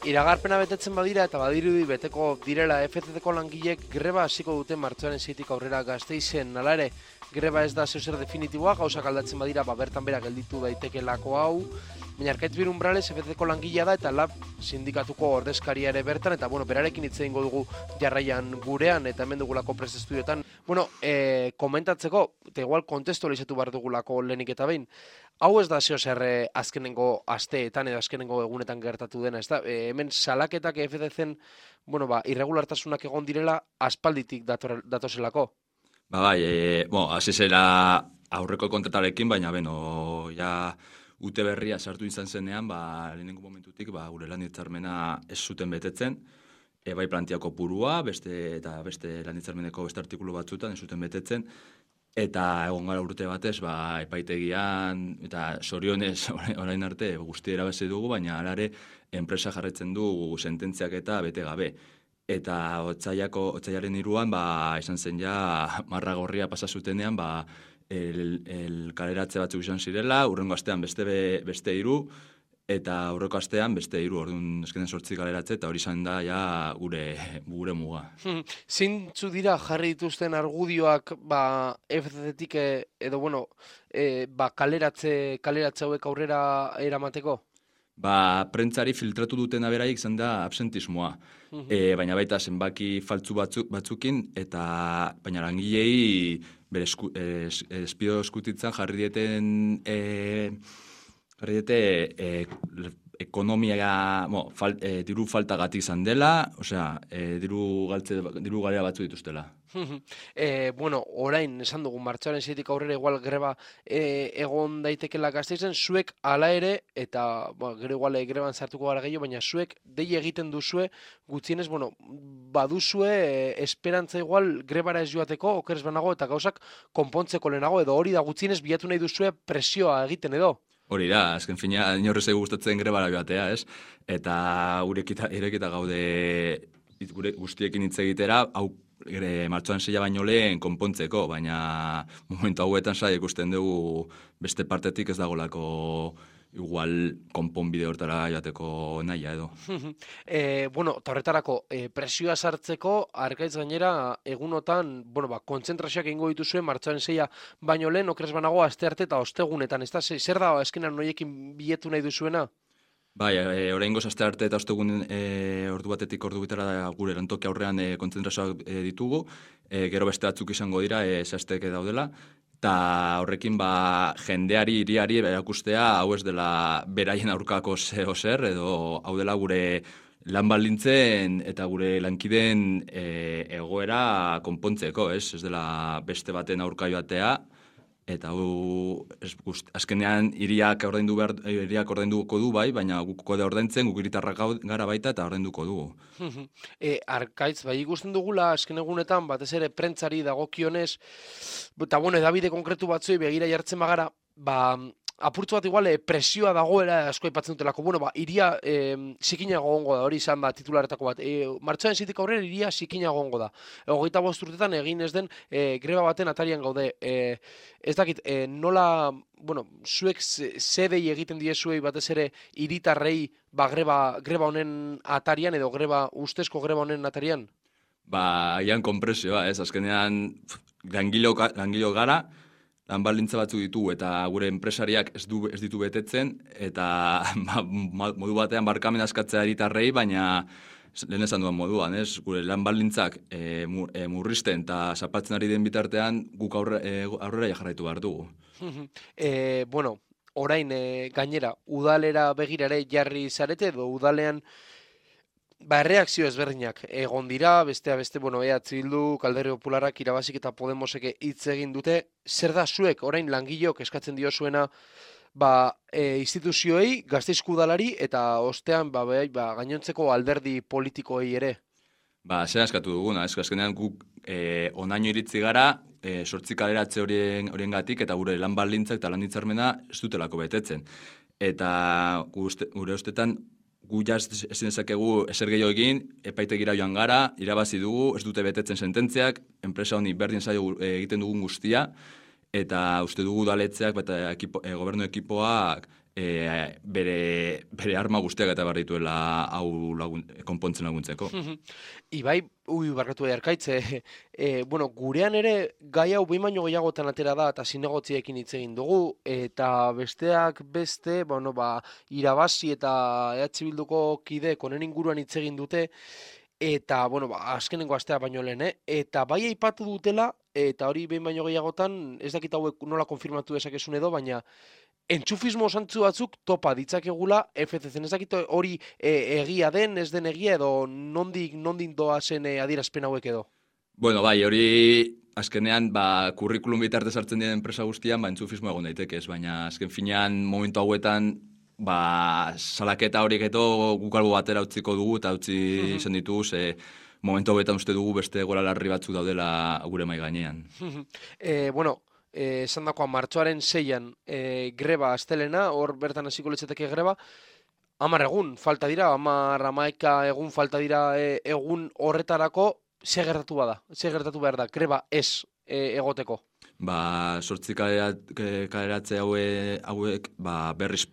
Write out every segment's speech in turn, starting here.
iragarpena betetzen badira eta badirudi beteko direla FCC-ko langileek greba hasiko dute martxoaren 6tik aurrera Gasteizen. Hala ere, greba ez da zer definitiboa, gauzak aldatzen badira, bertan bera gelditu daitekelako hau. Baina Arkaitz Birumbrales FCC-ko langilea da eta LAB sindikatuko ordezkaria ere bertan, eta berarekin hitz egingo dugu jarraian gurean eta hemen dugulako Press Estudiotan. Komentatzeko, eta igual kontestualizatu behar dugulako lehenik eta behin, hau ez da zer azkenengo asteetan edo azkenengo egunetan gertatu dena, ez da? Hemen salaketak FCC-en, irregulartasunak egon direla aspalditik datozelako. Hasi zela aurreko kontratarekin, baina ute berria sartu izan zenean, lehenengo momentutik gure lan hitzarmena ez zuten betetzen, bai plantiako purua, eta beste lan hitzarmeneko beste artikulu batzutan ez zuten betetzen, eta egon gara urte batez, epaitegian, eta sorionez orain arte guzti erabazi dugu, baina alare enpresa jarretzen du sententziak eta bete gabe. Eta otsailaren 3an, izan zen marra gorria pasa zutenean, kaleratze batzuk izan zirela, urrengo astean beste 3, eta aurreko astean beste 3, orduan eskenen 8 kaleratze, eta hori izan da gure muga. Zintzu dira jarri dituzten argudioak FCC-tik edo kaleratze hauek aurrera eramateko? Prentzari filtratu dutena beraik izan da absentismoa, baina baita zenbaki faltzu batzukin, eta baina langilei bere espio eskutitzan jarri diete ekonomia, diru faltagatik izan dela, diru galera batzu dituztela. Orain, esan dugu, martxoaren 6tik aurrera igual greba egon daitekela Gasteizen, zuek hala ere, eta gero igual greban sartuko gara gehiago, baina zuek dei egiten duzue, gutxienez, baduzue esperantza igual grebara ez joateko, okeres banago, eta gauzak konpontzeko lehenago, edo hori da gutxienez bilatu nahi duzue presioa egiten edo? Hori da, azken fina, inorrez gustatzen grebara joatea, ez? Eta irekita gaude gure guztiekin hitz egitera, hau martxoan 6 baino lehen konpontzeko, baina momentu hauetan ikusten dugu beste partetik ez dagolako igual konponbide hortara joateko nahia edo. Eta horretarako, presioa sartzeko, Arkaitz gainera, egunotan, kontzentrazioak egingo dituzue, martxoaren 6 baino lehen, okeres banago, astearte eta ostegunetan, ez da? Zer da, eskenan noiekin biletu nahi duzuena? Oraingoz astearte eta ostegun ordu batetik ordu bitara gure lantoki aurrean kontzentrazioak ditugu, gero beste batzuk izango dira, zehazteke daudela, eta horrekin jendeari, hiriari erakustea hau ez dela beraien aurkako zer, edo hau dela gure lan baldintzen eta gure lankideen egoera konpontzeko, ez dela beste baten aurka joatea, eta azkenean hiriak ordainduko du bai, baina guk kode ordaintzen, guk hiritarrak gara baita eta ordainduko dugu. Arkaitz, ikusten dugula, azken egunetan, batez ere prentzari dagokionez, eta edabide konkretu batzuei begira jartzen bagara, apurtzu bat igual presioa dagoela asko aipatzen dutelako. Iria zikinago gongo da, hori izan da titularetako bat. Martxoaren 6tik aurrera iria zikinago gongo da. 25 urtetan egin ez den greba baten atarian gaude. Ez dakit, nola, zuek zedei egiten diezuei batez ere hiritarrei greba honen atarian edo ustezko greba honen atarian? Ian konpresioa, ez, azkenean langilo gara, lan baldintza batzu ditu eta gure enpresariak ez ditu betetzen, eta modu batean barkamen askatzea hiritarrei, baina lehen esan duan moduan, ez? Gure lan baldintzak murrizten eta zapatzen ari den bitartean guk aurrera jarraitu behar dugu. Orain gainera, udalera begirare jarri zarete edo udalean erreakzio ezberdinak egon dira, beste, EH Bildu, Alderdi Popularrak, Irabazik eta Podemosek hitz egin dute. Zer da zuek, orain langileok eskatzen diozuena instituzioei, Gasteizko udalari eta ostean gainontzeko alderdi politikoei ere? Zer eskatu duguna, azkenean guk onaino iritzi gara, 8 kaleratze horiengatik eta gure lan baldintzak eta lan hitzarmena ez dutelako betetzen. Eta gure ustetan, gu ezin dezakegu ezer gehiago egin, epaitegira joan gara, irabazi dugu, ez dute betetzen sententziak, enpresa honi berdin zaio egiten dugun guztia, eta uste dugu udaletzeak eta gobernu ekipoak bere arma guztiak eta behar dituela hau konpontzen laguntzeko. Ibai, barkatu Arkaitz, bueno, gurean ere gai hau behin baino gehiagotan atera da eta zinegotziekin hitz egin dugu, eta besteak beste, bueno, irabazi eta EH Bilduko kideek honen inguruan hitz egin dute, eta, bueno, azkenengo astea baino lehen, eta bai aipatu dutela, eta hori behin baino gehiagotan, ez dakit hauek nola konfirmatu dezakezun edo, baina entxufismo zantzu batzuk topa ditzakegula FCC-en, ez dakit hori egia den, ez den egia edo nondik doazen adierazpen hauek edo? Bueno, bai, hori azkenean kurrikulum bitartez hartzen diren enpresa guztian entxufismo egon daiteke, baina azken finean momentu hauetan salaketa horiek edo guk albo batera utziko dugu eta utzi izan ditugu, momentu hauetan uste dugu beste gora larri batzuk daudela gure mai gainean. Bueno, esan dakoa martxoaren 6an greba astelena, hor bertan hasiko litzateke greba, 10 egun falta dira, 11 egun falta dira egun horretarako, ze gertatu behar da, greba ez egoteko? 8 kaleratze hauek berriz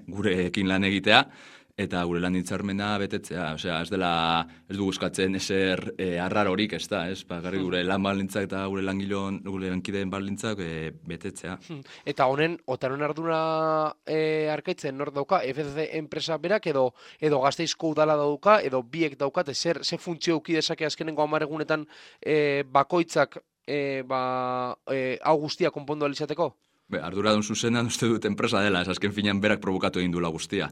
gurekin lan egitea, eta gure lan hitzarmena betetzea, ez dugu eskatzen ezer arrarorik, ez da, garri gure lan baldintzak eta gure lankideen baldintzak betetzea. Eta honen ardura Arkaitzen nor dauka, FCC enpresa berak edo Gasteizko udala dauka, edo biek daukate, ze funtzio euki dezake azkenengo 10 egunetan bakoitzak hau guztia konpondu alizateko? Arduradun zuzenan uste dut enpresa dela, azken finean berak provokatu egin duela guztia.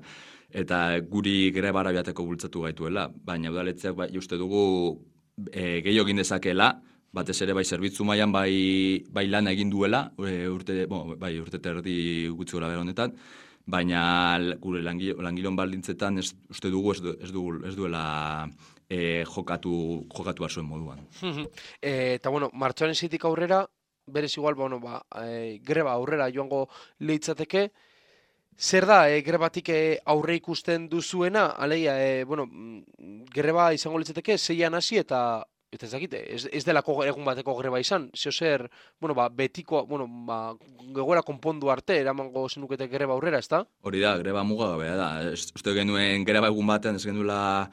Eta guri grebara biateko bultzatu gaituela, baina udaletzeak uste dugu gehiago egin dezakeela, batez ere bai zerbitzu mailan bai lan egin duela, urte terdi gutxi gora bera honetan, baina gure langilon baldintzetan uste dugu ez duela jokatu zuen moduan. Eta bueno, martxoaren 6tik aurrera, berez igual, greba aurrera joango litzateke. Zer da, grebatik aurre ikusten duzuena? Alegia, greba izango litzateke 6an hasi eta ez dakit, ez delako egun bateko greba izan. Zer, betiko, gegoera konpondu arte, eramango zenukete greba aurrera, ez da? Hori da, greba mugagabea da. Uste genuen greba egun batean ez genuela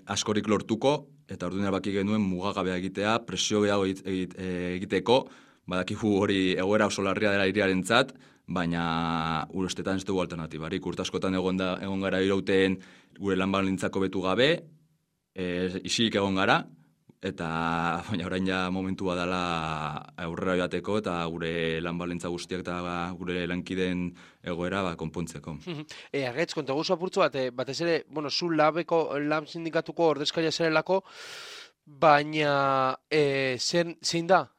askorik lortuko, eta orduan erabaki genuen mugagabea egitea, presio gehiago egiteko, badakigu hori egoera oso larria dela hiriarentzat, baina urestetan ez dugu alternatibarik. Urte askotan egon gara irauten gure lan baldintzako betu gabe, isilik egon gara, eta baina orain ja momentua dela aurrera joateko eta gure lan baldintza guztiak eta gure lankideen egoera konpontzeko. Argaitz, konteguzu apurtzu batez ere, zu lan sindikatuko ordezkaria zerelako, baina zein da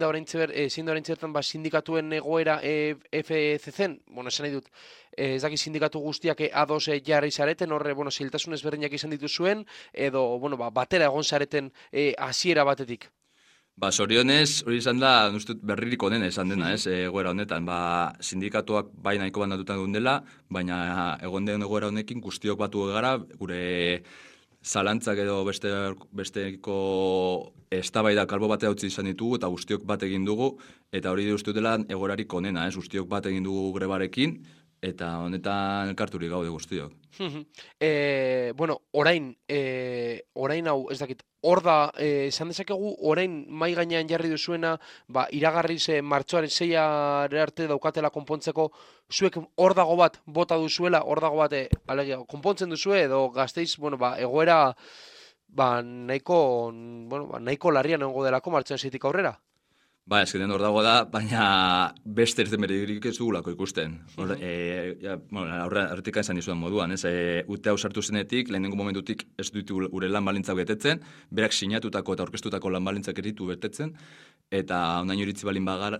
orain zertan sindikatuen egoera FCC-en? Esan nahi dut, ez daki sindikatu guztiak ados jarri zareten, horre, zailtasun ezberdinak izan dituzuen, edo, batera egon zareten hasiera batetik. Zorionez, hori izan da, berririk onena izan dena, egoera honetan. Sindikatuak bai nahiko bandatutan duen dela, baina egon den egoera honekin guztiok batu gara, gure zalantzak edo besteko eztabaidak albo batea utzi izan ditugu eta guztiok bat egin dugu, eta hori uste dela egoerarik onena, guztiok bat egin dugu grebarekin, eta honetan elkarturik gaude guztiok. Orain hau, ez dakit, hor da, esan dezakegu, orain mai gainean jarri duzuena, iragarriz martxoaren 6 arte daukatela konpontzeko, zuek hor dago bat bota duzuela, hor dago bat konpontzen duzue, edo Gasteiz, egoera nahiko larrian egongo delako martxoaren 6tik aurrera? Ezketen hor dago da, baina beste ez demeririk ez dugulako ikusten. Horretik izan izudan moduan. Ute hau sartu zenetik, lehenengo momentutik ez ditu gure lan balintzak betetzen, berak sinatutako eta orkestutako lan balintzak ditu betetzen, eta onaino iritzi balin bagara,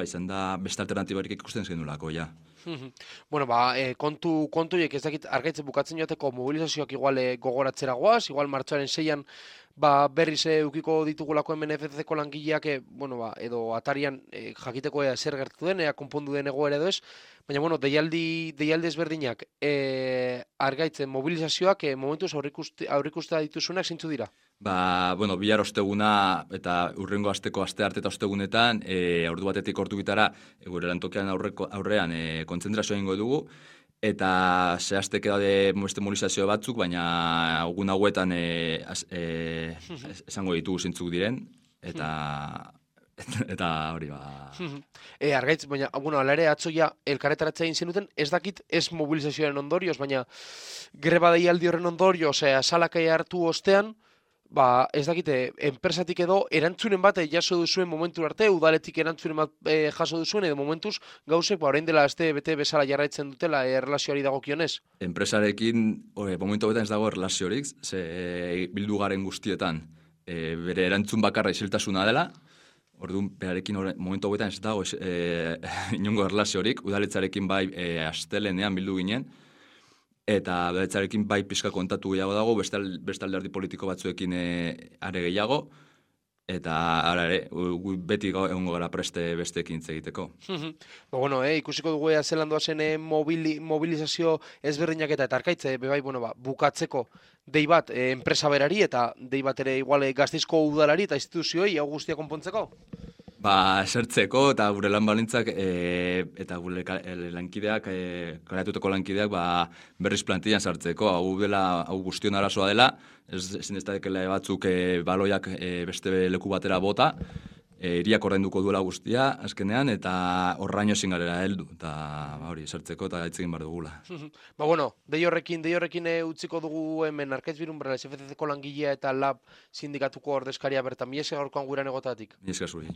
izan da beste alternatibarik ikusten zenulako, ja. Kontu ez dakit Argaitzen bukatzen joateko mobilizazioak igual gogoratzera goaz, igual martxoaren 6an berriz eukiko ditugulako hemen FCC-ko langileak, edo atarian jakiteko ea zer gertatu den, ea konpondu den egoera edo ez, baina, deialdi ezberdinak, argaitzen mobilizazioak momentuz aurrikustea dituzunak zeintzu dira? Bihar osteguna eta urrengo asteko astearte eta ostegunetan, ordu batetik ordu bitara, gure lantokian aurrean kontzentrazioa egingo dugu, eta zehazteke daude beste mobilizazio batzuk, baina egun hauetan esango ditugu zintzuk diren, eta hori Argaitz, baina, hala ere, atzoia elkarretaratzea egin zenuten, ez dakit ez mobilizazioaren ondorioz, baina greba deialdi horren ondorioz, salakai hartu ostean, ez dakite, enpresatik edo erantzunen bat jaso duzuen momentu arte, udaletik erantzunen bat jaso duzuen, edo momentuz gauzek, orain dela aste bete bezala jarraitzen dutela erlazioari dagokionez. Enpresarekin, momentu betan ez dago erlaziorik, bildu garen guztietan, bere erantzun bakarra isiltasuna dela, orduan, berarekin momentu hauetan ez dago inongo erlaziorik, udaletzarekin bai astelenean bildu ginen, eta udaletzarekin bai pixka kontatu gehiago dago, beste alderdi politiko batzuekin are gehiago, eta beti egongo gara preste besteekin egiteko. Ikusiko dugu ea zelan doazen mobilizazio ezberdinak eta arkaitze, bukatzeko dei bat enpresa berari eta dei bat ere igual Gasteizko udalari eta instituzioei hau guztia konpontzeko? Esertzeko eta gure lan balintzak eta gure lankideak, karatuteko lankideak berriz plantillan sartzeko. Hau guztion arazoa dela, ezin ez dakela batzuk baloiak beste leku batera bota, hiriak ordainduko duela guztia, azkenean, eta horraino ezin garela heldu, eta hori, esertzeko eta gaitzegin behar dugula. Dei horrekin utziko dugu hemen Arkaitz Birunberrala, FCC-ko langilea eta LAB sindikatuko ordezkaria bertan, mi esker gaurkoan gurean egotatik. Mi esker zuri.